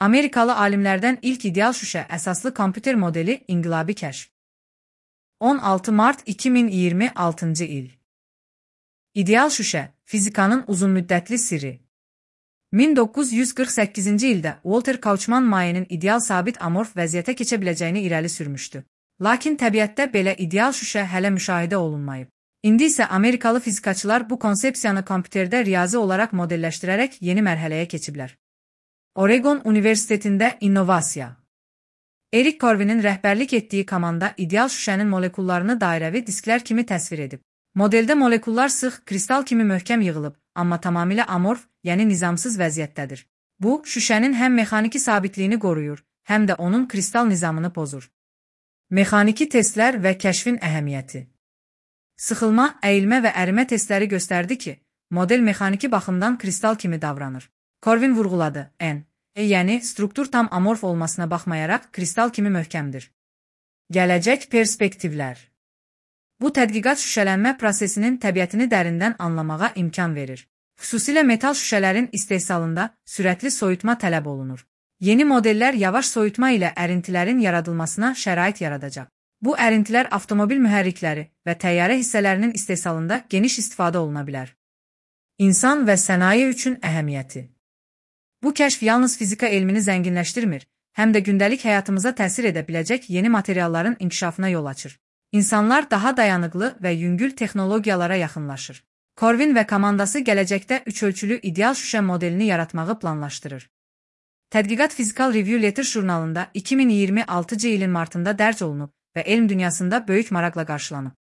Amerikalı alimlərdən ilk ideal şüşə əsaslı kompüter modeli inqilabi kəşf. 16 mart 2026-cı il. İdeal şüşə, fizikanın uzunmüddətli sirri. 1948-ci ildə Walter Kauffman mayenin ideal sabit amorf vəziyyətə keçə biləcəyini irəli sürmüşdü. Lakin təbiətdə belə ideal şüşə hələ müşahidə olunmayıb. İndi isə Amerikalı fizikaçılar bu konsepsiyanı kompüterdə riyazi olaraq modelləşdirərək yeni mərhələyə keçiblər. Oregon Universitetində innovasiya. Erik Corvin'in rəhbərlik etdiyi komanda ideal şüşənin molekullarını dairəvi disklər kimi təsvir edib. Modeldə molekullar sıx, kristal kimi möhkəm yığılıb, amma tamamilə amorf, yəni nizamsız vəziyyətdədir. Bu, şüşənin həm mexaniki sabitliyini qoruyur, həm də onun kristal nizamını pozur. Mexaniki testlər və kəşfin əhəmiyyəti. Sıxılma, əyilmə və ərimə testləri göstərdi ki, model mexaniki baxımdan kristal kimi davranır. Corvin vurğuladı, yəni struktur tam amorf olmasına baxmayaraq kristal kimi möhkəmdir. Gələcək perspektivlər. Bu tədqiqat şüşələnmə prosesinin təbiətini dərindən anlamağa imkan verir. Xüsusilə metal şüşələrin istehsalında sürətli soyutma tələb olunur. Yeni modellər yavaş soyutma ilə ərintilərin yaradılmasına şərait yaradacaq. Bu ərintilər avtomobil mühərrikləri və təyyarə hissələrinin istehsalında geniş istifadə oluna bilər. İnsan və sənaye üçün əhəmiyyəti. Bu kəşf yalnız fizika elmini zənginləşdirmir, həm də gündəlik həyatımıza təsir edə biləcək yeni materialların inkişafına yol açır. İnsanlar daha dayanıqlı və yüngül texnologiyalara yaxınlaşır. Corvin və komandası gələcəkdə üçölçülü ideal şüşə modelini yaratmağı planlaşdırır. Tədqiqat Physical Review Letters jurnalında 2026-cı ilin martında dərc olunub və elm dünyasında böyük maraqla qarşılanıb.